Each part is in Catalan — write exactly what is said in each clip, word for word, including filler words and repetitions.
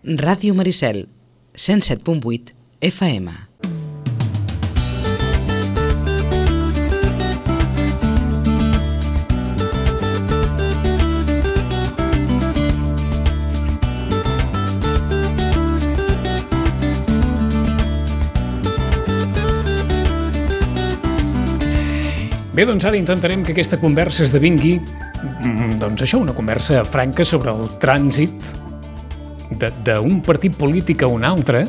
Ràdio Maricel, cent set punt vuit F M. Bé, doncs ara intentarem que aquesta conversa esdevingui, doncs això, una conversa franca sobre el trànsit d'un partit polític a un altre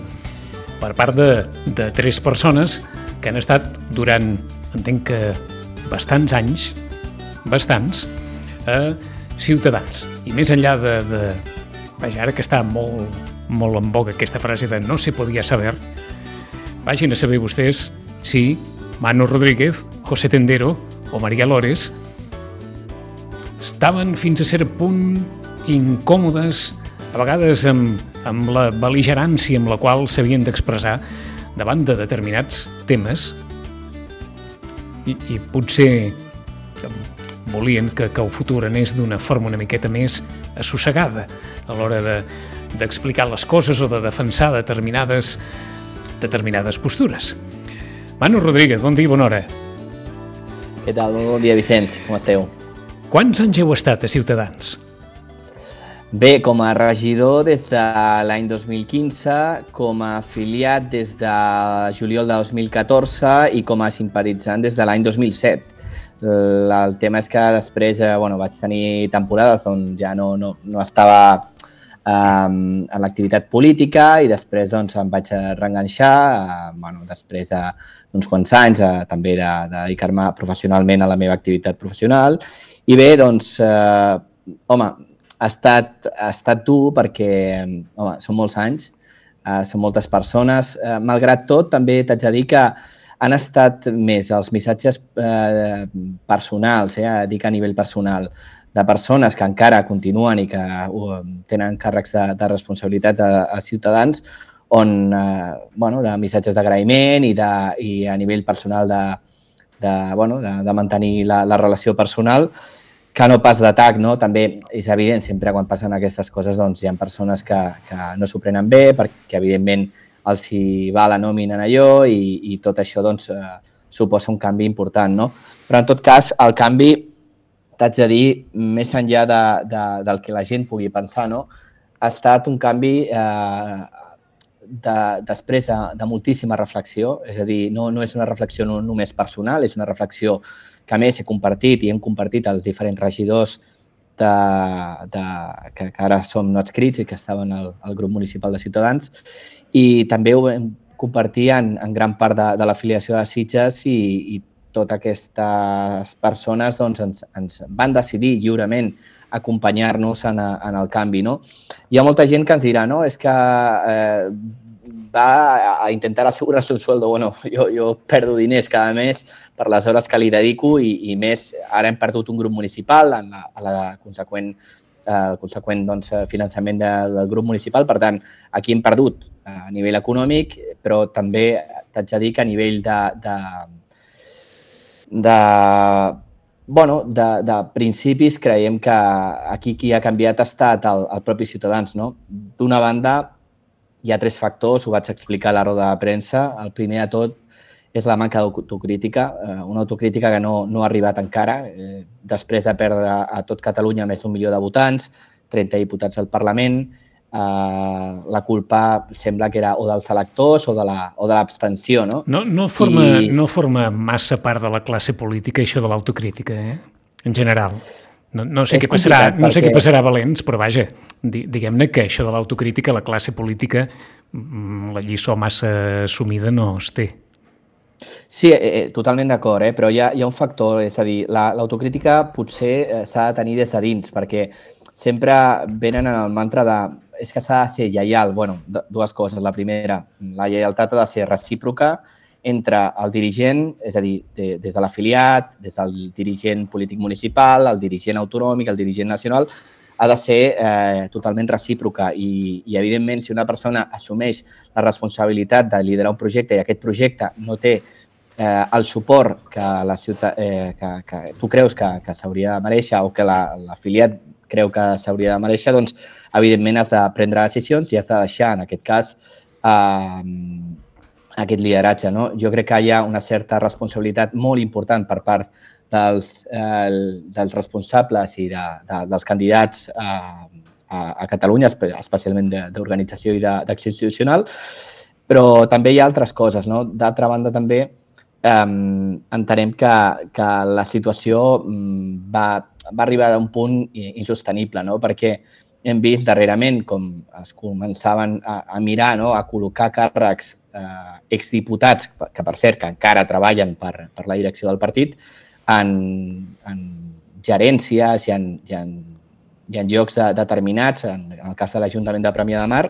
per part de, de tres persones que han estat durant, entenc que bastants anys, bastants, a Ciutadans. I més enllà de, de vaja, ara que està molt, molt en boga aquesta frase de no se podia saber, vagin a saber vostès si Manu Rodríguez, José Tendero o María Lores estaven fins a cert punt incòmodes, a vegades amb, amb la bel·ligerància amb la qual s'havien d'expressar davant de determinats temes i, i potser volien que, que el futur anés d'una forma una miqueta més assossegada a l'hora de, d'explicar les coses o de defensar determinades, determinades postures. Manu Rodríguez, bon dia i bona hora. Què tal? Bon dia, Vicenç. Com esteu? Quants anys heu estat a Ciutadans? Bé, com a regidor des de l'any dos mil quinze, com a afiliat des de juliol de dos mil catorze i com a simpatitzant des de l'any dos mil set. El tema és que després bueno, vaig tenir temporades on ja no, no, no estava um, en l'activitat política i després doncs, em vaig reenganxar, uh, bueno, després d'uns quants anys uh, també de, de dedicar-me professionalment a la meva activitat professional. I bé, doncs, uh, home, ha estat, ha estat dur perquè, home, són molts anys, uh, són moltes persones. Uh, malgrat tot, també t'haig de dir que han estat més els missatges eh, personals, eh, dic a nivell personal, de persones que encara continuen i que uh, tenen càrrecs de, de responsabilitat a, a Ciutadans, on, eh, bueno, de missatges d'agraïment i, de, i a nivell personal de, de, bueno, de, de mantenir la, la relació personal, que no pas d'atac, no? També és evident, sempre quan passen aquestes coses doncs, hi ha persones que, que no s'ho prenen bé, perquè evidentment els hi va la nòmina en allò i, i tot això doncs, eh, suposa un canvi important, no? Però en tot cas, el canvi, t'haig de dir, més enllà de, de, del que la gent pugui pensar, no? Ha estat un canvi eh, de, després de, de moltíssima reflexió, és a dir, no, no és una reflexió no, només personal, és una reflexió que a més he compartit i hem compartit els diferents regidors de, de, que, que ara som no adscrits i que estaven al, al grup municipal de Ciutadans, i també ho vam compartir en, en gran part de, de l'afiliació de Sitges i, i totes aquestes persones doncs, ens, ens van decidir lliurement acompanyar-nos en, a, en el canvi. No? Hi ha molta gent que ens dirà no? És que eh, va a intentar assegurar-se un sueldo. Bueno, jo, jo perdo diners cada mes per les hores que li dedico i, i més, ara hem perdut un grup municipal en la, a la conseqüent, eh, el conseqüent doncs, finançament de, del grup municipal. Per tant, aquí hem perdut a nivell econòmic, però també t'haig de dir que a nivell de, de, de, bueno, de, de principis creiem que aquí qui ha canviat ha estat el, el propi Ciutadans. No? D'una banda, hi ha tres factors, ho vaig explicar a la roda de premsa. El primer de tot és la manca d'autocrítica, una autocrítica que no, no ha arribat encara. Eh, després de perdre a tot Catalunya més d'un milió de votants, trenta diputats al Parlament, eh, la culpa sembla que era o dels electors o de la, o de l'abstenció. No, no, no, forma, I... no forma massa part de la classe política això de l'autocrítica, eh? En general. No, no sé, què passarà, no sé perquè... què passarà a Valents, però vaja, diguem-ne que això de l'autocrítica, la classe política, la lliçó massa assumida no es té. Sí, eh, totalment d'acord, eh? Però hi ha, hi ha un factor, és a dir, la, l'autocrítica potser eh, s'ha de tenir des de dins, perquè sempre venen en el mantra de és que s'ha de ser lleial. Bueno, dues coses. La primera, la lleialtat ha de ser recíproca entre el dirigent, és a dir, de, des de l'afiliat, des del dirigent polític municipal, el dirigent autonòmic, el dirigent nacional, ha de ser eh, totalment recíproca i, i, evidentment, si una persona assumeix la responsabilitat de liderar un projecte i aquest projecte no té eh, el suport que, la ciutat, eh, que, que tu creus que, que s'hauria de mereixer o que la, l'afiliat creu que s'hauria de mereixer, doncs, evidentment has de prendre decisions i has de deixar, en aquest cas, eh, aquest lideratge. No? Jo crec que hi ha una certa responsabilitat molt important per part dels, eh, dels responsables i de, de, dels candidats a, a, a Catalunya, especialment d'organització i d'acció institucional, però també hi ha altres coses. No? D'altra banda, també eh, entenem que, que la situació va, va arribar a un punt insostenible, no? Perquè hem vist darrerament com es començaven a, a mirar, no? A col·locar càrrecs eh, exdiputats, que per cert que encara treballen per, per la direcció del partit, en, en gerències i en, i en, i en llocs de, determinats, en, en el cas de l'Ajuntament de Premià de Mar,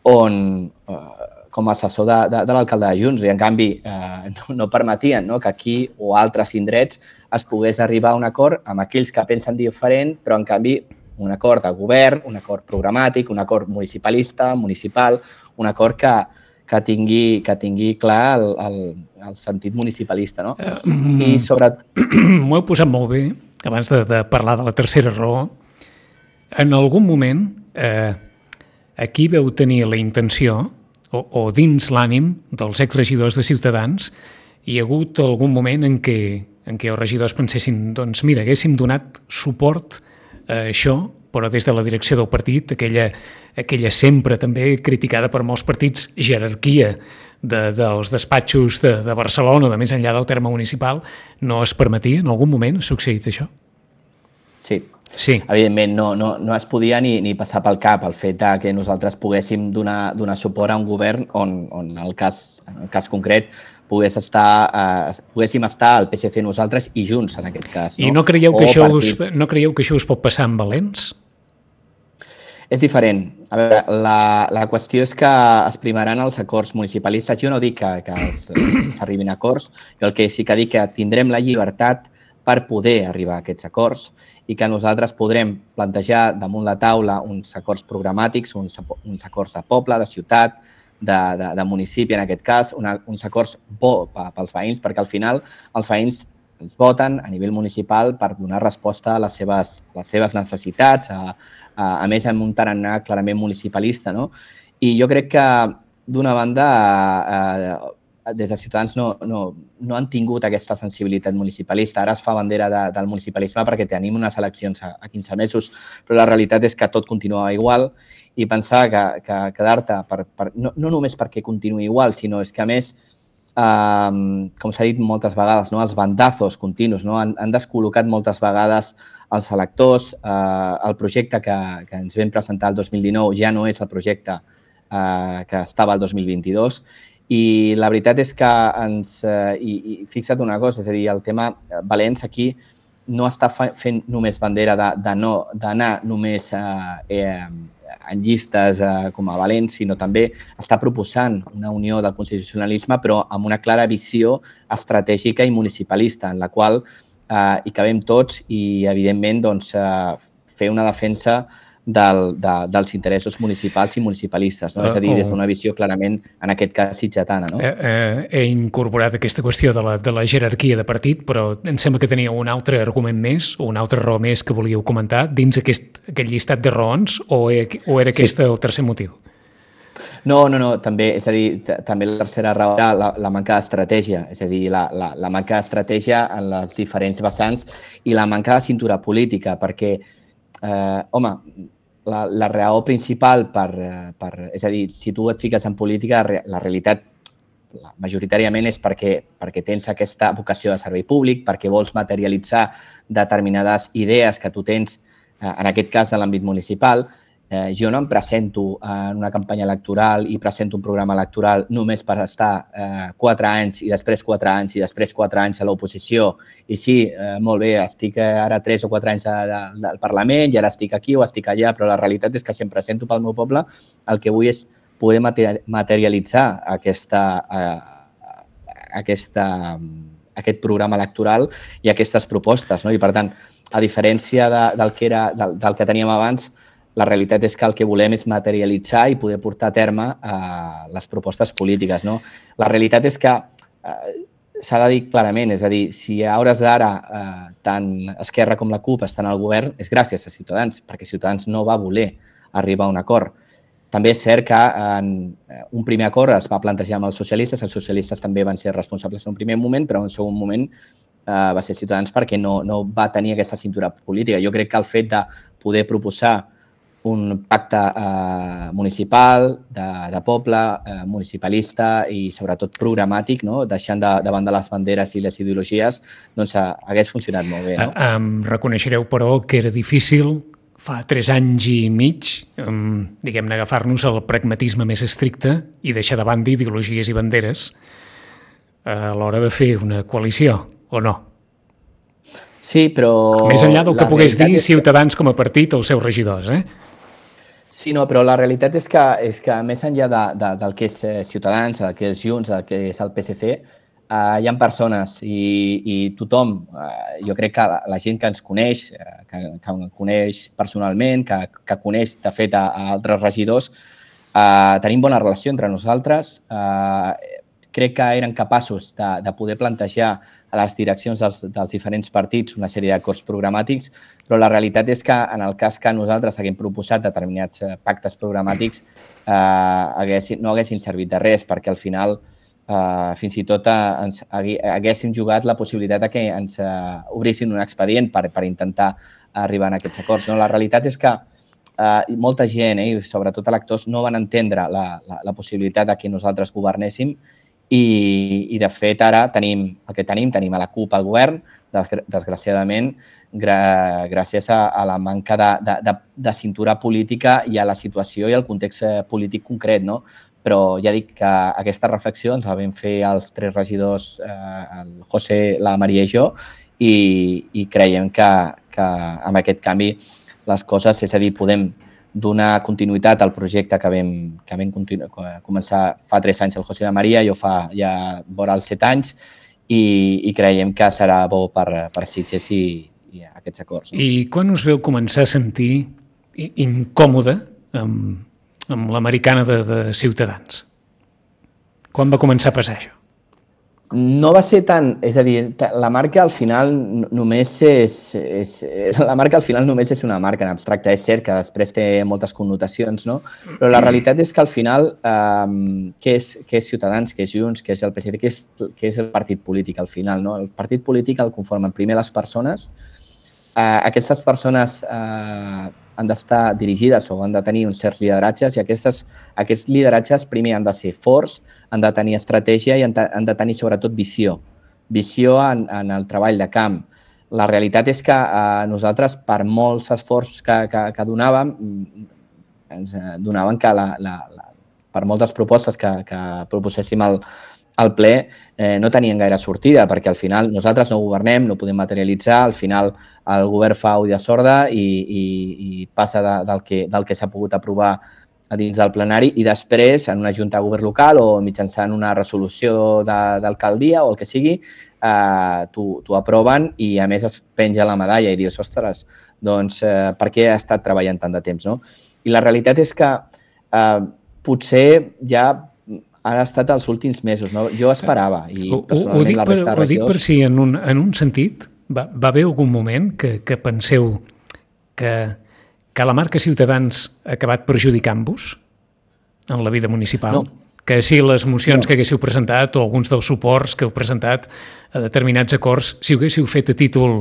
on eh, com a assessor de, de, de l'alcalde de Junts, i en canvi eh, no, no permetien, no? Que aquí o altres indrets es pogués arribar a un acord amb aquells que pensen diferent, però en canvi un acord de govern, un acord programàtic, un acord municipalista, municipal, un acord que, que, tingui, que tingui clar el, el, el sentit municipalista. No? Uh, I sobre... M'ho heu posat molt bé, abans de, de parlar de la tercera raó. En algun moment, eh, aquí veu tenir la intenció, o, o dins l'ànim dels exregidors de Ciutadans, hi ha hagut algun moment en què, en què els regidors pensessin, doncs mira, haguéssim donat suport a això, però des de la direcció del partit, aquella, aquella sempre també criticada per molts partits jerarquia de, dels despatxos de, de Barcelona, de més enllà del terme municipal, no es permetia? En algun moment ha succeït això? Sí. Sí. Evidentment, no, no, no es podia ni, ni passar pel cap el fet de que nosaltres poguéssim donar, donar suport a un govern on, on en, el cas, en el cas concret pogués estar, eh, poguéssim estar al P S C nosaltres i Junts, en aquest cas. No? I no creieu, que això us, no creieu que això us pot passar amb Valents? És diferent. A veure, la, la qüestió és que es primaran els acords municipalistes. Jo no dic que, que s'arribin a acords, jo el que sí que dic que tindrem la llibertat per poder arribar a aquests acords i que nosaltres podrem plantejar damunt la taula uns acords programàtics, uns, uns acords de poble, de ciutat, de, de, de municipi, en aquest cas, una, uns acords bo pels veïns, perquè al final els veïns ens voten a nivell municipal per donar resposta a les seves, a les seves necessitats, a, a, a més amb un tarannà clarament municipalista. No? I jo crec que, d'una banda, eh, des de Ciutadans no, no, no han tingut aquesta sensibilitat municipalista. Ara es fa bandera de, del municipalisme perquè tenim unes eleccions a, a quinze mesos, però la realitat és que tot continua igual i pensar que, que quedar-te, per, per, no, no només perquè continuï igual, sinó és que, a més, eh, com s'ha dit moltes vegades, no, els bandazos continus, no, han, han descol·locat moltes vegades els electors. Eh, el projecte que, que ens vam presentar el dos mil dinou ja no és el projecte eh, que estava el dos mil vint-i-dos. I la veritat és que ens... Eh, i, i fixa't una cosa, és a dir, el tema Valents aquí no està fa, fent només bandera de, de no d'anar només eh, eh, en llistes eh, com a Valents, sinó també està proposant una unió del constitucionalisme, però amb una clara visió estratègica i municipalista, en la qual eh, hi cabem tots i, evidentment, doncs, eh, fer una defensa Del, de, dels interessos municipals i municipalistes. No? Uh, és a dir, des d'una visió clarament, en aquest cas, sitgetana. No? Eh, eh, he incorporat aquesta qüestió de la, de la jerarquia de partit, però em sembla que tenia un altre argument més, o una altra raó més que volíeu comentar dins aquest, aquest llistat de raons, o, he, o era aquest sí. el tercer motiu? No, no, no, també, és a dir, també la tercera raó era la, la manca d'estratègia, és a dir, la, la, la manca d'estratègia en les diferents vessants i la manca de cintura política, perquè, eh, home, La, la raó principal per, per... És a dir, si tu et fiques en política, la realitat majoritàriament és perquè, perquè tens aquesta vocació de servei públic, perquè vols materialitzar determinades idees que tu tens, en aquest cas, en l'àmbit municipal. Eh, jo no em presento en una campanya electoral i presento un programa electoral només per estar eh, quatre anys i després quatre anys i després quatre anys a l'oposició. I sí, eh, molt bé, estic ara tres o quatre anys de, de, del Parlament i ara estic aquí o estic allà, però la realitat és que si em presento pel meu poble, el que vull és poder materialitzar aquesta, eh, aquesta, aquest programa electoral i aquestes propostes. No? I, per tant, a diferència de, del, que era, del, del que teníem abans, la realitat és que el que volem és materialitzar i poder portar a terme eh, les propostes polítiques. No? La realitat és que eh, s'ha de dir clarament, és a dir, si a hores d'ara eh, tant Esquerra com la CUP estan al govern, és gràcies a Ciutadans, perquè Ciutadans no va voler arribar a un acord. També és cert que en un primer acord es va plantejar amb els socialistes, els socialistes també van ser responsables en un primer moment, però en un segon moment eh, va ser Ciutadans perquè no, no va tenir aquesta cintura política. Jo crec que el fet de poder proposar un pacte eh, municipal, de, de poble, eh, municipalista i sobretot programàtic, no? Deixant de, de banda les banderes i les ideologies, doncs hagués funcionat molt bé. No? Em reconeixereu, però, que era difícil fa tres anys i mig, um, diguem-ne, agafar-nos al pragmatisme més estricte i deixar de banda ideologies i banderes a l'hora de fer una coalició, o no? Sí, però... Més enllà del que pogués dir Ciutadans com a partit o els seus regidors, eh? Sí, no, però la realitat és que, és que més enllà de, de, del que és Ciutadans, del que és Junts, del que és el P S C, eh, hi ha persones i, i tothom, eh, jo crec que la, la gent que ens coneix, eh, que, que coneix personalment, que, que coneix, de fet, a, a altres regidors, eh, tenim bona relació entre nosaltres. Eh, crec que eren capaços de, de poder plantejar a les direccions dels, dels diferents partits una sèrie d'acords programàtics, però la realitat és que en el cas que nosaltres haguem proposat determinats pactes programàtics eh, haguessin, no haguessin servit de res, perquè al final eh, fins i tot eh, ens haguéssim jugat la possibilitat de que ens eh, obrissin un expedient per, per intentar arribar a aquests acords. No? La realitat és que eh, molta gent, eh, sobretot electors, no van entendre la, la, la possibilitat de que nosaltres governéssim. I, i de fet, ara tenim el que tenim, tenim a la CUP al govern, desgraciadament, gra, gràcies a, a la manca de, de, de, de cintura política i a la situació i al context polític concret, no? Però ja dic que aquesta reflexió ens la vam fer els tres regidors, eh, el José, la Maria i jo, i, i creiem que, que amb aquest canvi les coses, és a dir, podem donar continuïtat al projecte que vam, que vam continu- començar fa tres anys el José i la Maria, jo fa ja vora els set anys, i, i creiem que serà bo per, per Sitges i, i aquests acords. No? I quan us veu començar a sentir incòmode amb, amb l'americana de, de Ciutadans? Quan va començar a passar això? No va ser tant, és a dir, la marca al final només és, és, la marca al final només és una marca en abstracte. És cert que després té moltes connotacions, no? Però la realitat és que al final, eh, què és, què és Ciutadans, què és Junts, què és el P S C, què és, què és el partit polític al final, no? El partit polític el conformen primer les persones. Eh, aquestes persones eh, han d'estar dirigides o han de tenir uns certs lideratges i aquestes, aquests lideratges primer han de ser forts, han de tenir estratègia i han de, han de tenir sobretot visió. Visió en, en el treball de camp. La realitat és que eh, nosaltres, per molts esforços que, que, que donàvem, ens donaven que la, la, la, per moltes propostes que, que proposéssim al, al ple eh, no tenien gaire sortida, perquè al final nosaltres no governem, no podem materialitzar, al final el govern fa oïda sorda i, i, i passa de, del que, del que s'ha pogut aprovar a dins del plenari i després en una junta de govern local o mitjançant una resolució d'alcaldia o el que sigui, eh, t'ho aproven i a més es penja la medalla i dius, ostres, doncs eh, per què ha estat treballant tant de temps, no? I la realitat és que eh, potser ja han estat els últims mesos, no? Jo esperava i personalment la resta de regidors... Ho dic per si en un, en un sentit va, va haver algun moment que, que penseu que que la marca Ciutadans ha acabat perjudicant-vos en la vida municipal? No. Que si les mocions no. que haguéssiu presentat o alguns dels suports que heu presentat a determinats acords, si ho haguéssiu fet a títol,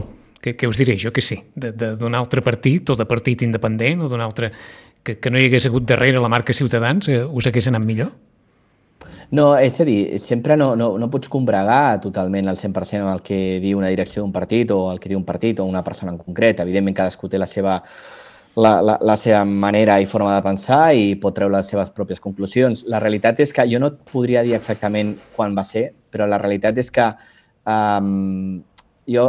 que, que us diré jo que sí, d'un altre partit o de partit independent o d'un altre, que, que no hi hagués hagut darrere la marca Ciutadans, eh, us hagués anat millor? No, és a dir, sempre no, no, no pots combregar totalment al cent per cent amb el que diu una direcció d'un partit o el que diu un partit o una persona en concret. Evidentment, cadascú té la seva La, la, la seva manera i forma de pensar i pot treure les seves pròpies conclusions. La realitat és que jo no et podria dir exactament quan va ser, però la realitat és que um, jo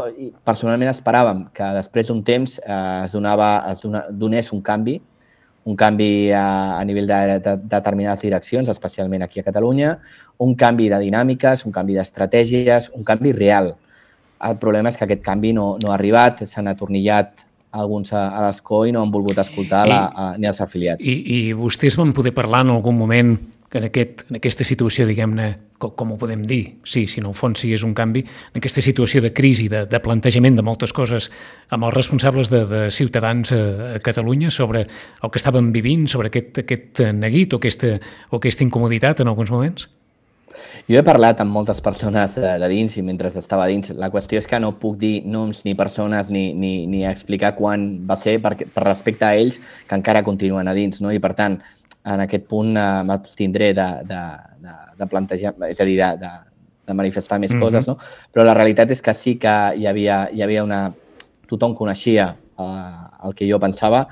personalment esperàvem que després d'un temps eh, es, donava, es dona, donés un canvi, un canvi a, a nivell de, de, de determinades direccions, especialment aquí a Catalunya, un canvi de dinàmiques, un canvi d'estratègies, un canvi real. El problema és que aquest canvi no, no ha arribat, s'han atornillat alguns a, a l'escó i no han volgut escoltar I, la, a, ni els afiliats. I, I vostès van poder parlar en algun moment que en, aquest, en aquesta situació, diguem-ne, com, com ho podem dir, sí, si en el fons sí és un canvi, en aquesta situació de crisi, de, de plantejament de moltes coses amb els responsables de, de Ciutadans a, a Catalunya sobre el que estaven vivint, sobre aquest, aquest neguit o aquesta, o aquesta incomoditat en alguns moments? Jo he parlat amb moltes persones de, de dins i mentre estava dins. La qüestió és que no puc dir noms ni persones ni, ni, ni explicar quan va ser per, per respecte a ells que encara continuen a dins, no? I per tant, en aquest punt eh, m'abstindré de, de, de, de plantejar, és a dir, de, de, de manifestar més mm-hmm. coses, no? Però la realitat és que sí que hi havia, hi havia una... Tothom coneixia eh, el que jo pensava.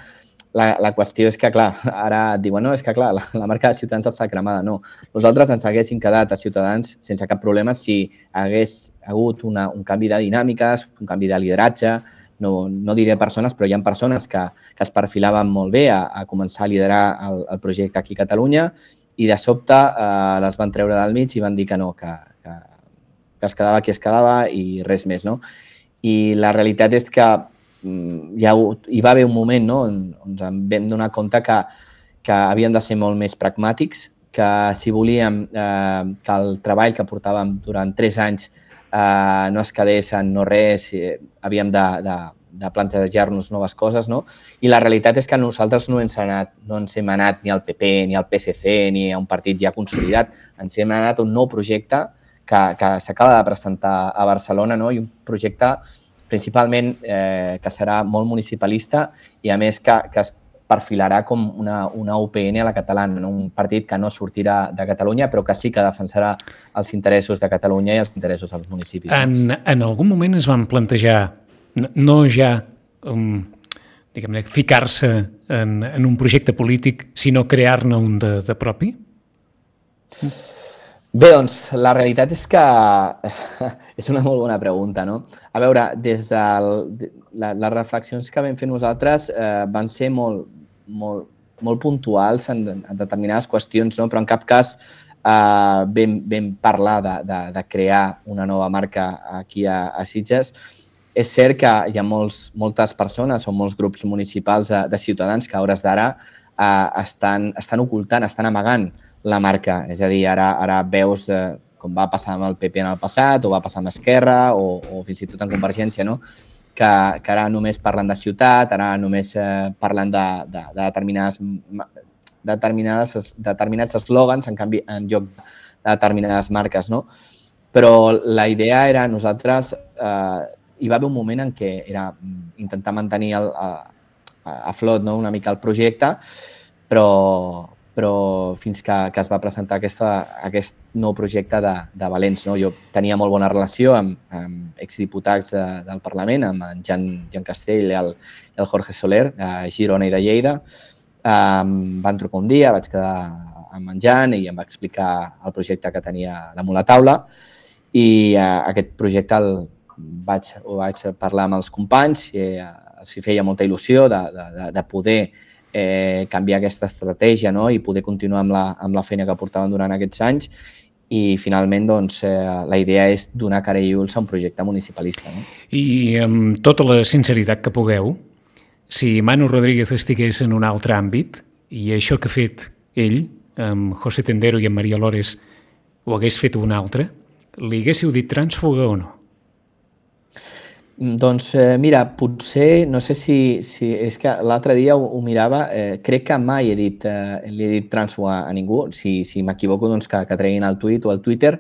La, la qüestió és que, clar, ara et diuen, no, és que, clar, la, la marca de Ciutadans està cremada. No, nosaltres ens haguéssim quedat a Ciutadans sense cap problema si hagués hagut una, un canvi de dinàmiques, un canvi de lideratge. No, no diré persones, però hi ha persones que, que es perfilaven molt bé a, a començar a liderar el, el projecte aquí a Catalunya i de sobte eh, les van treure del mig i van dir que no, que, que, que es quedava qui es quedava i res més, no? I la realitat és que hi, ha, hi va haver un moment, no?, on, on ens vam donar compte que, que havíem de ser molt més pragmàtics, que si volíem eh, que el treball que portàvem durant tres anys eh, no es quedés en no res, eh, havíem de, de, de plantejar-nos noves coses, no? I la realitat és que nosaltres no ens, anat, no ens hem anat ni al P P, ni al P S C, ni a un partit ja consolidat, ens hem anat a un nou projecte que, que s'acaba de presentar a Barcelona, no? I un projecte principalment eh, que serà molt municipalista i, a més, que, que es perfilarà com una, una U P N a la catalana, no? Un partit que no sortirà de Catalunya, però que sí que defensarà els interessos de Catalunya i els interessos dels municipis. En, en algun moment es van plantejar, no ja um, diguem-ne, ficar-se en, en un projecte polític, sinó crear-ne un de, de propi? Bé, doncs, la realitat és que és una molt bona pregunta, no? A veure, des de la, les reflexions que vam fer nosaltres eh, van ser molt, molt, molt puntuals en, en determinades qüestions, no? Però en cap cas eh, vam, vam parlar de, de, de crear una nova marca aquí a, a Sitges. És cert que hi ha molts, moltes persones o molts grups municipals de, de ciutadans que a hores d'ara eh, estan, estan ocultant, estan amagant la marca. És a dir, ara, ara veus de, com va passar amb el P P en el passat, o va passar amb Esquerra, o, o fins i tot en Convergència, no? que, que ara només parlen de ciutat, ara només eh, parlen de, de, de determinades, determinades, determinats eslògans, en canvi, en lloc de determinades marques, no? Però la idea era, nosaltres, eh, hi va haver un moment en què era intentar mantenir el, a, a flot, no? Una mica el projecte, però, però fins que, que es va presentar aquesta, aquest nou projecte de, de Valents. No? Jo tenia molt bona relació amb, amb exdiputats de, del Parlament, amb en Jan, Jan Castell i el, el Jorge Soler, de Girona i de Lleida. Um, van trucar un dia, vaig quedar amb en Jan i em va explicar el projecte que tenia damunt la taula i uh, aquest projecte el vaig, ho vaig parlar amb els companys i uh, els feia molta il·lusió de, de, de poder Eh, canviar aquesta estratègia, no? I poder continuar amb la, amb la feina que portaven durant aquests anys i finalment doncs, eh, la idea és donar cara i ulls a un projecte municipalista. No? I amb tota la sinceritat que pugueu, si Manu Rodríguez estigués en un altre àmbit i això que ha fet ell, amb José Tendero i amb Maria Lores, ho hagués fet un altre, li haguéssiu dit trànsfuga o no? Doncs eh, mira, potser, no sé si, si és que l'altre dia ho, ho mirava, eh, crec que mai he dit, eh, li he dit trànsfuga a ningú, si, si m'equivoco doncs que, que treguin el tuit o el Twitter.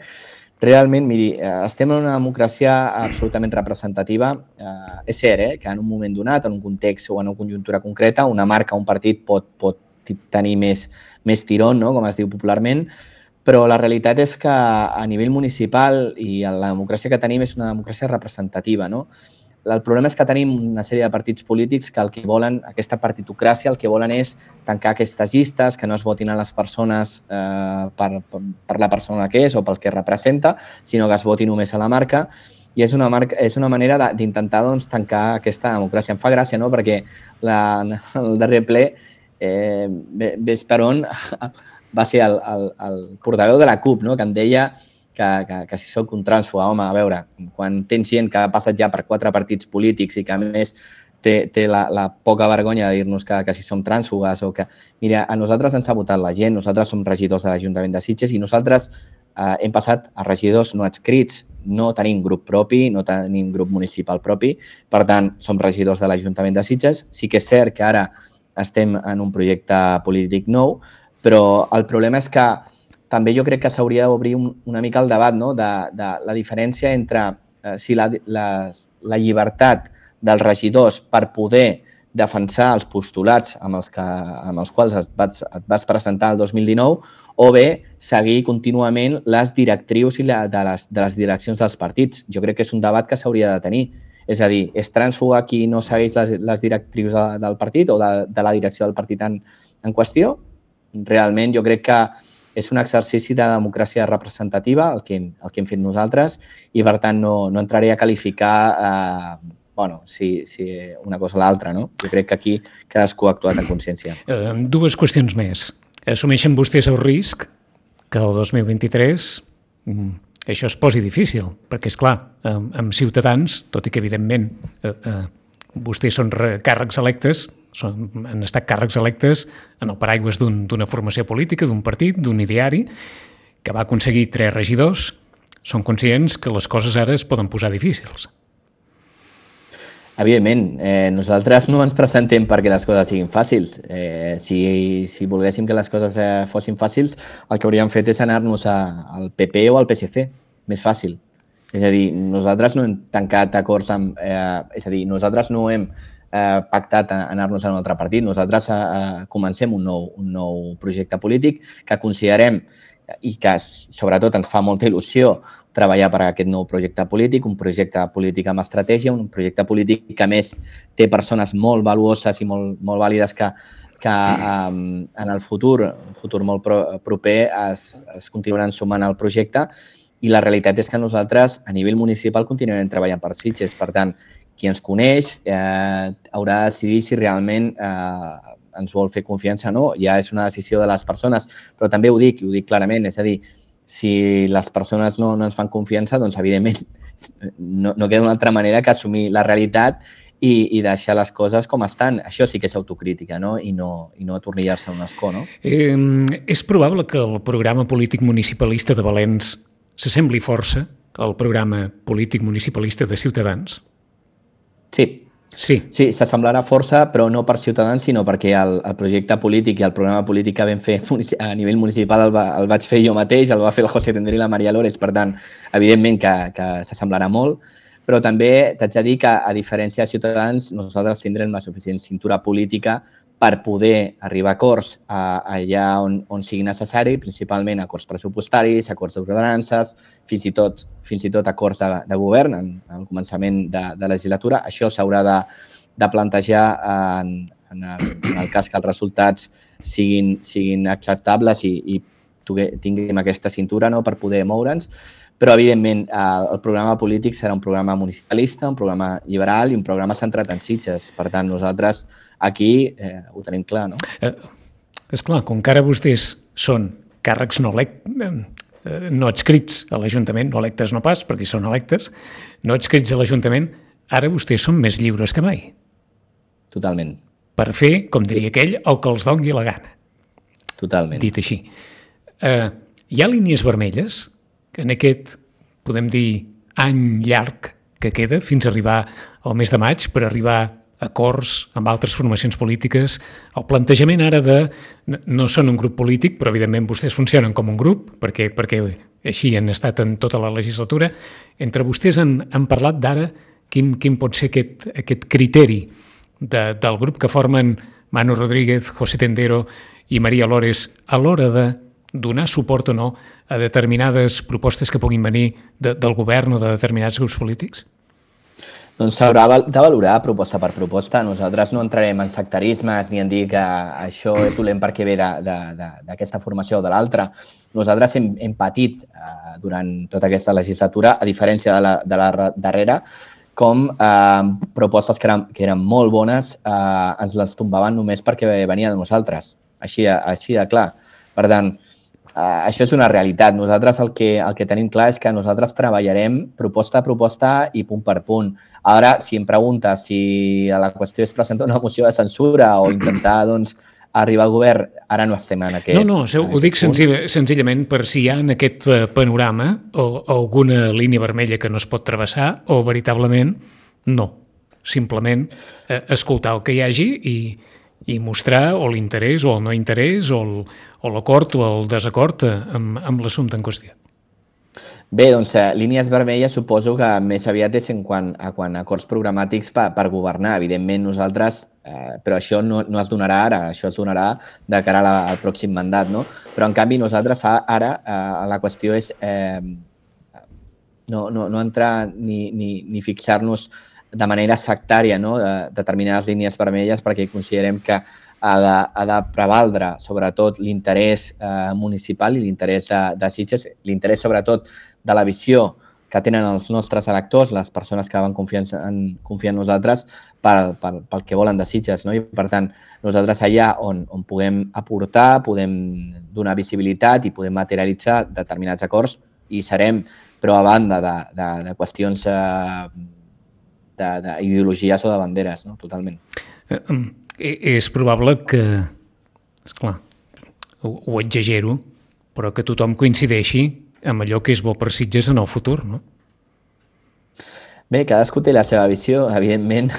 Realment, miri, eh, estem en una democràcia absolutament representativa. Eh, és cert eh, que en un moment donat, en un context o en una conjuntura concreta, una marca, un partit pot, pot tenir més, més tirón, no? Com es diu popularment, però la realitat és que a nivell municipal i la democràcia que tenim és una democràcia representativa, no? El problema és que tenim una sèrie de partits polítics que el que volen, aquesta partitocràcia, el que volen és tancar aquestes llistes, que no es votin a les persones eh, per, per, per la persona que és o pel que representa, sinó que es voti només a la marca. I és una, marca, és una manera d'intentar doncs, tancar aquesta democràcia. Em fa gràcia, no?, perquè la, el darrer ple, eh, ves per on, va ser el, el, el portaveu de la CUP, no?, que em deia que, que, que si soc un trànsfuga. Home, a veure, quan tens gent que ha passat ja per quatre partits polítics i que a més té, té la, la poca vergonya de dir-nos que, que si som trànsfugues o que... Mira, a nosaltres ens ha votat la gent, nosaltres som regidors de l'Ajuntament de Sitges i nosaltres eh, hem passat a regidors no adscrits, no tenim grup propi, no tenim grup municipal propi, per tant, som regidors de l'Ajuntament de Sitges. Sí que és cert que ara estem en un projecte polític nou, però el problema és que també jo crec que s'hauria d'obrir un, una mica el debat, no? de, de la diferència entre eh, si la, la, la llibertat dels regidors per poder defensar els postulats amb els, que, amb els quals et vas, et vas presentar el dos mil dinou o bé seguir contínuament les directrius i la, de, les, de les direccions dels partits. Jo crec que és un debat que s'hauria de tenir. És a dir, és trànsfuga qui no segueix les, les directrius de, del partit o de, de la direcció del partit en, en qüestió? Realment jo crec que és un exercici de democràcia representativa el que, el que hem fet nosaltres i, per tant, no, no entraré a qualificar eh, bueno, si, si una cosa o l'altra, no? Jo crec que aquí cadascú ha actuat en consciència. Uh, dues qüestions més. Assumeixen vostès el risc que el dos mil vint-i-tres um, això es posi difícil, perquè, és clar, amb, amb Ciutadans, tot i que, evidentment, uh, uh, vostès són càrrecs electes, són, han estat càrrecs electes en el paraigües d'una un, formació política, d'un partit, d'un ideari, que va aconseguir tres regidors, són conscients que les coses ara es poden posar difícils. Evidentment, eh, nosaltres no ens presentem perquè les coses siguin fàcils. Eh, si, si volguéssim que les coses eh, fossin fàcils, el que hauríem fet és anar-nos al P P o al P S C, més fàcil. És a dir, nosaltres no hem tancat acords amb... Eh, és a dir, nosaltres no hem eh, pactat anar-nos a un altre partit. Nosaltres eh, comencem un nou, un nou projecte polític que considerem i que sobretot ens fa molta il·lusió treballar per a aquest nou projecte polític, un projecte polític amb estratègia, un projecte polític que a més té persones molt valuoses i molt, molt vàlides que, que um, en el futur, un futur molt pro, proper, es, es continuaran sumant al projecte i la realitat és que nosaltres a nivell municipal continuarem treballant per Sitges. Per tant, qui ens coneix eh, haurà de decidir si realment eh, ens vol fer confiança o no. Ja és una decisió de les persones, però també ho dic, i ho dic clarament, és a dir, si les persones no, no ens fan confiança, doncs, evidentment, no, no queda una altra manera que assumir la realitat i, i deixar les coses com estan. Això sí que és autocrítica, no? I no, i no atornillar-se un escó, no? Eh, és probable que el programa polític municipalista de Valens s'assembli força al programa polític municipalista de Ciutadans? Sí. Sí, sí s'assemblarà força, però no per Ciutadans, sinó perquè el, el projecte polític i el programa polític que vam fer a nivell municipal el, va, el vaig fer jo mateix, el va fer el José Tendré i la Maria Lores, per tant, evidentment que, que s'assemblarà molt, però també t'haig de dir que, a diferència de Ciutadans, nosaltres tindrem la suficient cintura política per poder arribar a acords a, allà on, on sigui necessari, principalment acords pressupostaris, acords d'ordenances, fins i tot, fins i tot acords de, de govern en, en el començament de, de legislatura. Això s'haurà de, de plantejar en, en, el, en el cas que els resultats siguin, siguin acceptables i, i tinguem aquesta cintura, no?, per poder moure'ns. Però, evidentment, el programa polític serà un programa municipalista, un programa liberal i un programa centrat en Sitges. Per tant, nosaltres aquí eh, ho tenim clar, no? Eh, esclar, com que ara vostès són càrrecs no, elect, eh, no adscrits a l'Ajuntament, no electes no pas, perquè són electes, no adscrits a l'Ajuntament, ara vostès són més lliures que mai. Totalment. Per fer, com diria aquell, el que els doni la gana. Totalment. Dit així. Eh, hi ha línies vermelles que en aquest, podem dir, any llarg que queda fins a arribar al mes de maig per arribar a acords amb altres formacions polítiques. El plantejament ara de... No són un grup polític, però evidentment vostès funcionen com un grup, perquè, perquè així han estat en tota la legislatura. Entre vostès han, han parlat d'ara quin, quin pot ser aquest, aquest criteri de, del grup que formen Manu Rodríguez, José Tendero i Maria Lores a l'hora de donar suport o no a determinades propostes que puguin venir de, del govern o de determinats grups polítics? Doncs s'haurà de valorar proposta per proposta. Nosaltres no entrarem en sectarismes ni en dir que això és dolent perquè ve d'aquesta formació o de l'altra. Nosaltres hem, hem patit eh, durant tota aquesta legislatura, a diferència de la, de la darrera, com eh, propostes que eren, que eren molt bones eh, ens les tombaven només perquè venia de nosaltres. Així, així de clar. Per tant, Uh, això és una realitat. Nosaltres el que, el que tenim clar és que nosaltres treballarem proposta a proposta i punt per punt. Ara, si em preguntes si la qüestió és presentar una moció de censura o intentar doncs, arribar al govern, ara no estem en aquest... No, no, ho dic senzill, senzillament per si hi ha en aquest panorama o, o alguna línia vermella que no es pot travessar o veritablement no. Simplement eh, escoltar el que hi hagi i i mostrar o l'interès o el no interès o, el, o l'acord o el desacord amb, amb l'assumpte en qüestió. Bé, doncs eh, línies vermelles suposo que més aviat és en quant a, quan a acords programàtics per, per governar. Evidentment nosaltres, eh, però això no, no es donarà ara, això es donarà de cara a la, al pròxim mandat, no? Però en canvi nosaltres ara eh, la qüestió és eh, no, no, no entrar ni, ni, ni fixar-nos de manera sectària, no? de determinades línies vermelles, perquè considerem que ha de, ha de prevaldre sobretot l'interès eh, municipal i l'interès de, de Sitges, l'interès sobretot de la visió que tenen els nostres electors, les persones que van confiar en, confiar en nosaltres pel, pel, pel que volen de Sitges. No? I, per tant, nosaltres allà on, on puguem aportar, podem donar visibilitat i podem materialitzar determinats acords i serem, però a banda de, de, de qüestions eh, d'ideologies o de banderes, no? Totalment. Eh, és probable que, esclar, ho, ho exagero, però que tothom coincideixi amb allò que és bo per Sitges en el futur, no? Bé, cadascú té la seva visió, evidentment.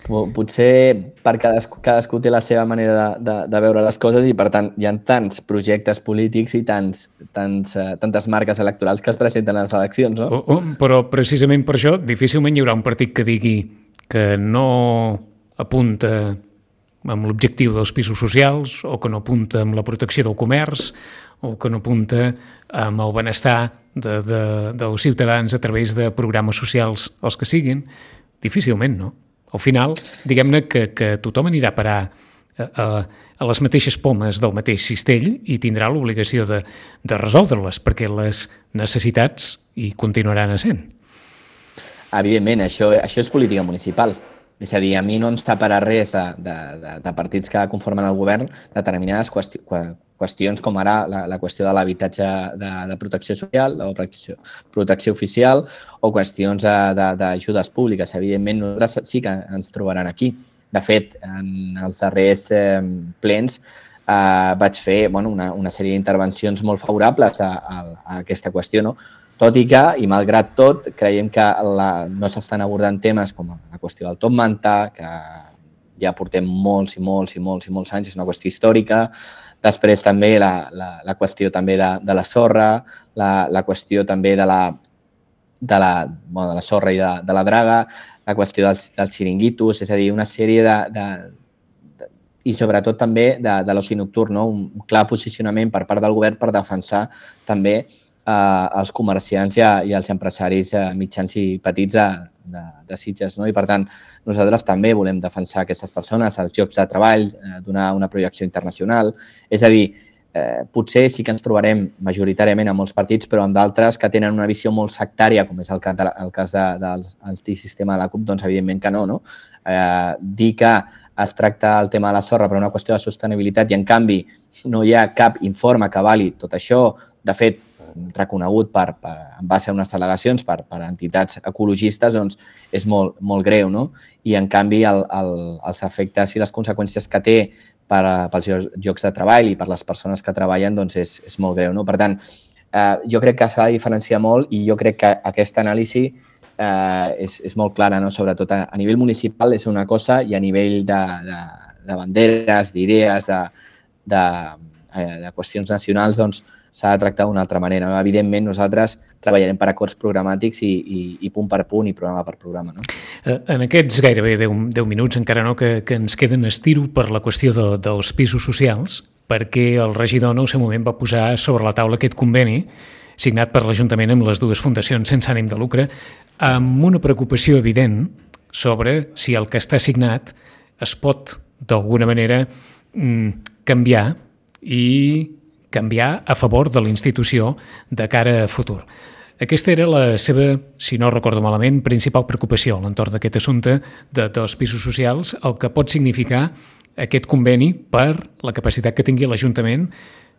Potser per cadascú, cadascú té la seva manera de, de, de veure les coses i, per tant, hi ha tants projectes polítics i tants, tants, uh, tantes marques electorals que es presenten a les eleccions, no? Oh, oh, però precisament per això difícilment hi haurà un partit que digui que no apunta amb l'objectiu dels pisos socials o que no apunta amb la protecció del comerç o que no apunta amb el benestar de, de, dels ciutadans a través de programes socials els que siguin. Difícilment, no? Al final, diguem-ne que, que tothom anirà a parar a, a, a les mateixes pomes del mateix cistell i tindrà l'obligació de, de resoldre-les, perquè les necessitats hi continuaran essent. Evidentment, això, això és política municipal. És a dir, a mi no ens taparà res de, de, de, de partits que conformen el govern determinades qüesti qüestions com ara la, la qüestió de l'habitatge de, de protecció social o protecció, protecció oficial o qüestions d'ajudes públiques. Evidentment, nosaltres sí que ens trobaran aquí. De fet, en els darrers eh, plens eh, vaig fer bueno, una, una sèrie d'intervencions molt favorables a, a, a aquesta qüestió, no? Tot i que, i malgrat tot, creiem que la, no s'estan abordant temes com la qüestió del top manta, que ja portem molts i molts i molts i molts anys, és una qüestió històrica. Després també la, la, la qüestió també de, de la sorra, la, la qüestió també de la, de la, bueno, de la sorra i de, de la draga, la qüestió dels, dels xiringuitos, és a dir, una sèrie de... de, de i sobretot també de, de l'oci nocturn, no? Un clar posicionament per part del govern per defensar també eh, els comerciants i, i els empresaris eh, mitjans i petits de, de, de Sitges. No? I per tant, nosaltres també volem defensar aquestes persones, els llocs de treball, eh, donar una projecció internacional. És a dir, eh, potser sí que ens trobarem majoritàriament en molts partits, però en d'altres que tenen una visió molt sectària, com és el cas, de, el cas de, dels antisistema de la CUP, doncs evidentment que no. no? Eh, dir que es tracta el tema de la sorra per una qüestió de sostenibilitat i, en canvi, no hi ha cap informe que avali tot això. De fet, reconegut per, per, en base a unes delegacions per, per entitats ecologistes, doncs és molt, molt greu, no? I, en canvi, el, el, els efectes i les conseqüències que té per, pels llocs de treball i per les persones que treballen doncs és, és molt greu, no? Per tant, eh, jo crec que s'ha de diferenciar molt i jo crec que aquesta anàlisi eh, és, és molt clara, no? Sobretot a, a nivell municipal és una cosa i a nivell de, de, de banderes, d'idees, de, de, de qüestions nacionals, doncs s'ha de tractar d'una altra manera. Evidentment, nosaltres treballarem per acords programàtics i, i, i punt per punt i programa per programa. No? En aquests gairebé deu minuts, encara no, que, que ens queden estiro per la qüestió de, dels pisos socials, perquè el regidor en el seu moment va posar sobre la taula aquest conveni signat per l'Ajuntament amb les dues fundacions sense ànim de lucre, amb una preocupació evident sobre si el que està signat es pot, d'alguna manera, canviar i canviar a favor de la institució de cara a futur. Aquesta era la seva, si no recordo malament, principal preocupació a l'entorn d'aquest assumpte de, dels pisos socials, el que pot significar aquest conveni per la capacitat que tingui l'Ajuntament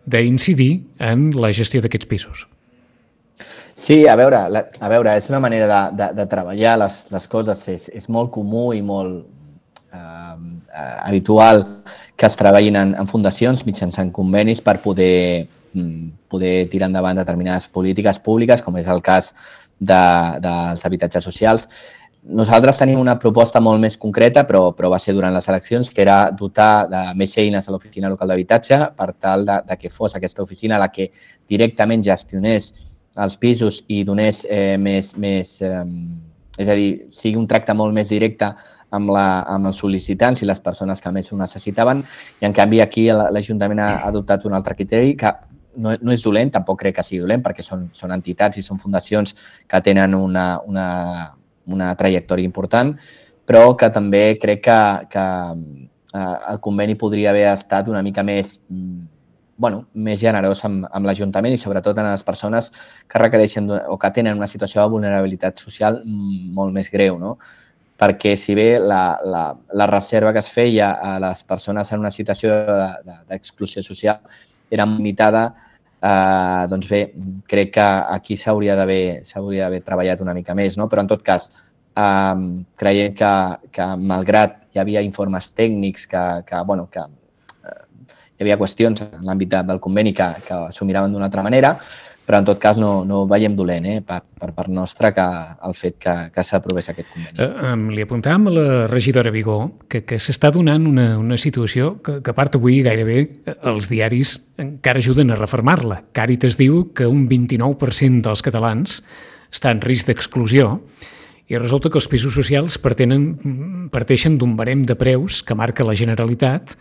d'incidir en la gestió d'aquests pisos. Sí, a veure, la, a veure, és una manera de, de, de treballar les, les coses. És, és molt comú i molt eh, eh, habitual que es treballin en, en fundacions mitjançant convenis per poder, poder tirar endavant determinades polítiques públiques, com és el cas de, dels habitatges socials. Nosaltres tenim una proposta molt més concreta, però, però va ser durant les eleccions, que era dotar de més eines a l'oficina local d'habitatge per tal de, de que fos aquesta oficina la que directament gestionés els pisos i donés eh, més, més eh, és a dir, sigui un tracte molt més directe amb, la, amb els sol·licitants i les persones que més ho necessitaven. I, en canvi, aquí l'Ajuntament ha adoptat un altre criteri que no, no és dolent, tampoc crec que sigui dolent, perquè són, són entitats i són fundacions que tenen una, una, una trajectòria important, però que també crec que, que eh, el conveni podria haver estat una mica més bueno, més generós amb, amb l'Ajuntament i sobretot en les persones que requereixen o que tenen una situació de vulnerabilitat social molt més greu, no? Perquè si bé la, la, la reserva que es feia a les persones en una situació d'exclusió de, de, social era limitada, eh, doncs bé, crec que aquí s'hauria d'haver s'hauria d'haver treballat una mica més, no? Però en tot cas, eh, creiem que, que malgrat hi havia informes tècnics que, que bueno, que hi havia qüestions en l'àmbit del conveni que, que s'ho miraven d'una altra manera, però en tot cas no, no veiem dolent eh, per, per part nostra que el fet que, que s'aprovés aquest conveni. Eh, li apuntàvem a la regidora Vigó que, que s'està donant una, una situació que, que a part avui gairebé els diaris encara ajuden a refermar-la. Càritas diu que un vint-i-nou per cent dels catalans està en risc d'exclusió i resulta que els pisos socials partenen, parteixen d'un barem de preus que marca la Generalitat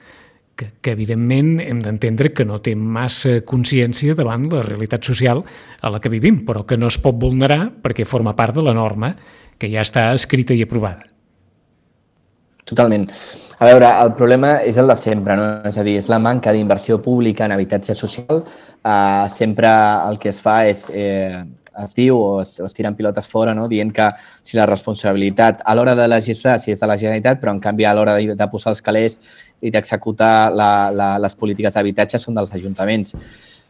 Que, que evidentment hem d'entendre que no té massa consciència davant la realitat social a la que vivim, però que no es pot vulnerar perquè forma part de la norma que ja està escrita i aprovada. Totalment. A veure, el problema és el de sempre, no? És a dir, és la manca d'inversió pública en habitatge social. Uh, sempre el que es fa és... Eh, es diu o es, o es tiren pilotes fora, no? Dient que si la responsabilitat a l'hora de legislar si és de la Generalitat, però en canvi a l'hora de, de posar els calés i d'executar la, la, les polítiques d'habitatge són dels ajuntaments.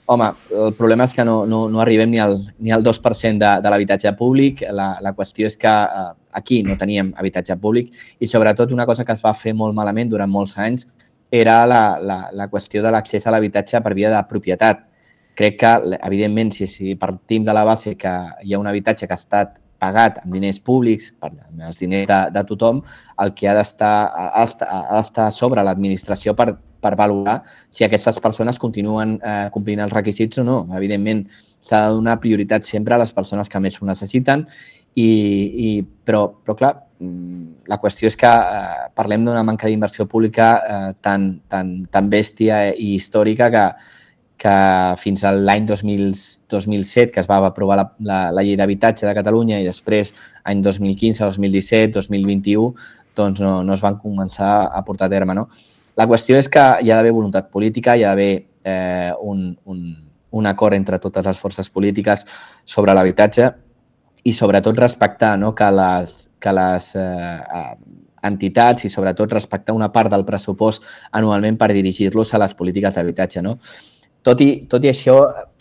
Home, el problema és que no, no, no arribem ni al, ni al dos per cent de, de l'habitatge públic. La, la qüestió és que eh, aquí no teníem habitatge públic i sobretot una cosa que es va fer molt malament durant molts anys era la, la, la qüestió de l'accés a l'habitatge per via de propietat. Crec que, evidentment, si, si partim de la base que hi ha un habitatge que ha estat pagat amb diners públics, per els diners de, de tothom, el que ha d'estar ha d'estar sobre l'administració per, per valorar si aquestes persones continuen eh, complint els requisits o no. Evidentment, s'ha de donar prioritat sempre a les persones que més ho necessiten, i, i, però, però clar, la qüestió és que eh, parlem d'una manca d'inversió pública eh, tan, tan, tan bèstia i històrica que que fins a l'any dos mil set, que es va aprovar la, la, la llei d'habitatge de Catalunya i després any dos mil quinze, dos mil disset, dos mil vint-i-u, doncs no, no es van començar a portar a terme, no? La qüestió és que hi ha d'haver voluntat política, hi ha d'haver eh, un, un, un acord entre totes les forces polítiques sobre l'habitatge i sobretot respectar, no, que les, que les eh, entitats i sobretot respectar una part del pressupost anualment per dirigir-los a les polítiques d'habitatge, no? Tot i, tot i això,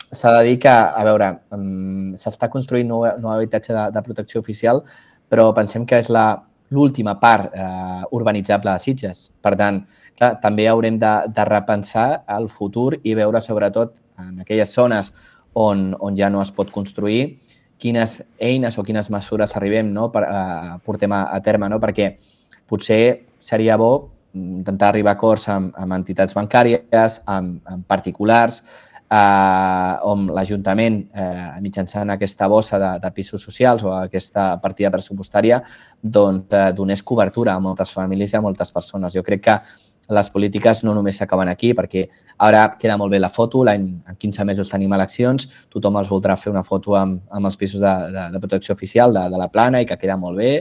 s'ha de dir que, a veure, um, s'està construint nou, nou habitatge de, de protecció oficial, però pensem que és l'última part eh, urbanitzable de Sitges. Per tant, clar, també haurem de, de repensar el futur i veure, sobretot, en aquelles zones on, on ja no es pot construir, quines eines o quines mesures arribem, no, per, eh, portem a, a terme, no? Perquè potser seria bo intentar arribar a acords amb, amb entitats bancàries, amb, amb particulars, eh, on l'Ajuntament, eh, mitjançant aquesta bossa de, de pisos socials o aquesta partida pressupostària, doncs, eh, donés cobertura a moltes famílies i a moltes persones. Jo crec que les polítiques no només s'acaben aquí, perquè ara queda molt bé la foto, l'any en quinze mesos tenim eleccions, tothom els voldrà fer una foto amb, amb els pisos de, de, de protecció oficial de, de la plana i que queda molt bé,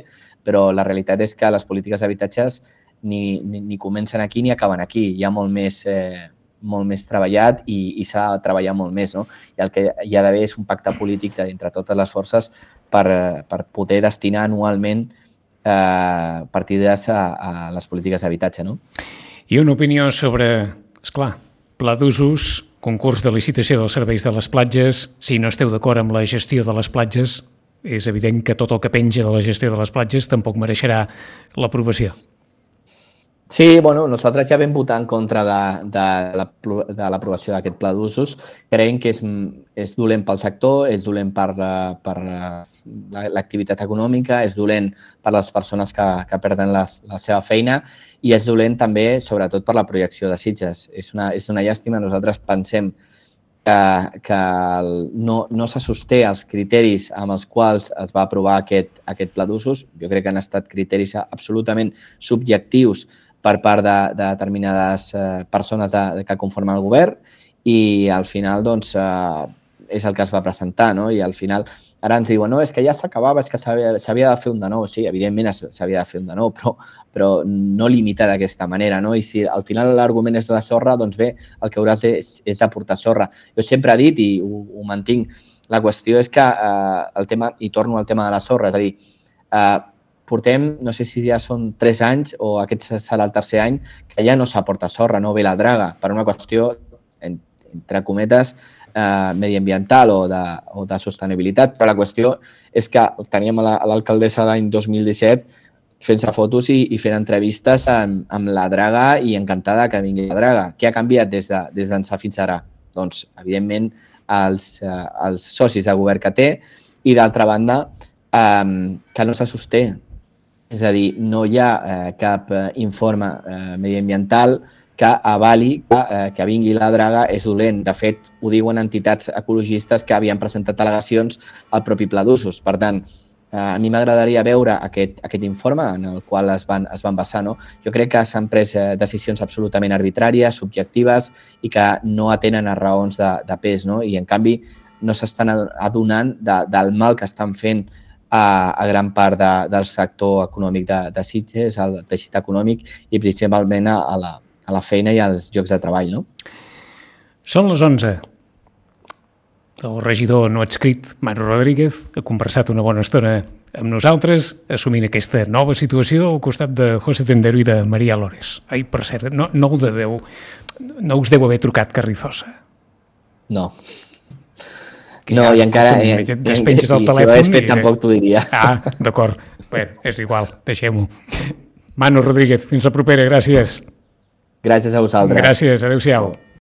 però la realitat és que les polítiques d'habitatges Ni, ni, ni comencen aquí ni acaben aquí. Hi ha molt més, eh, molt més treballat i, i s'ha de treballar molt més, no? I el que hi ha d'haver és un pacte polític entre totes les forces per, per poder destinar anualment eh, partides a, a les polítiques d'habitatge, no? I una opinió sobre, esclar, pla d'usos concurs de licitació dels serveis de les platges. Si no esteu d'acord amb la gestió de les platges, és evident que tot el que penja de la gestió de les platges tampoc mereixerà l'aprovació. Sí, bueno, nosaltres ja vam votar en contra de, de, la, de l'aprovació d'aquest pla d'usos. Creiem que és, és dolent pel sector, és dolent per, per l'activitat econòmica, és dolent per les persones que, que perden la, la seva feina i és dolent també, sobretot, per la projecció de Sitges. És una, és una llàstima. Nosaltres pensem que, que no, no se sosté els criteris amb els quals es va aprovar aquest, aquest pla d'usos. Jo crec que han estat criteris absolutament subjectius per part de, de determinades eh, persones de, que conformen el govern i al final doncs, eh, és el que es va presentar, no? I al final ara ens diuen no, és que ja s'acabava, és que s'havia de fer un de nou. Sí, evidentment s'havia de fer un de nou, però, però no limitar d'aquesta manera, no? I si al final l'argument és de la sorra, doncs bé, el que hauràs de, és, és aportar sorra. Jo sempre he dit, i ho, ho mantinc, la qüestió és que eh, el tema, i torno al tema de la sorra, és a dir, eh, portem, no sé si ja són tres anys o aquest serà el tercer any, que ja no s'aporta sorra, no ve la draga, per una qüestió, entre cometes, eh, mediambiental o de, o de sostenibilitat, però la qüestió és que teníem a l'alcaldessa l'any dos mil disset fent-se fotos i, i fent entrevistes amb, amb la draga i encantada que vingui la draga. Què ha canviat des de, des d'ençà fins ara? Doncs, evidentment, els, eh, els socis de govern que té i, d'altra banda, eh, que no se sosté. És a dir, no hi ha eh, cap eh, informe eh, mediambiental que avali que, eh, que vingui la draga és dolent. De fet, ho diuen entitats ecologistes que havien presentat al·legacions al propi pla d'usos. Per tant, eh, a mi m'agradaria veure aquest, aquest informe en el qual es van, es van basar. No? Jo crec que s'han pres eh, decisions absolutament arbitràries, subjectives i que no atenen a raons de, de pes. No? I, en canvi, no s'estan adonant de, del mal que estan fent a, a gran part de, del sector econòmic de, de Sitges, al teixit econòmic i principalment a, a, la, a la feina i als llocs de treball. No? Són les onze. El regidor no adscrit, Manu Rodríguez, ha conversat una bona estona amb nosaltres, assumint aquesta nova situació al costat de José Tendero i de Maria Lores. Ai, per cert, no, no, ho deveu, no us deu haver trucat Carrizosa. No. Que no, ja, i encara... Eh, despenges el i, telèfon... Si ho hagués fet, i... tampoc t'ho diria. Ah, d'acord. Bé, és igual, deixem-ho. Manu Rodríguez, fins la propera, gràcies. Gràcies a vosaltres. Gràcies, adéu-siau.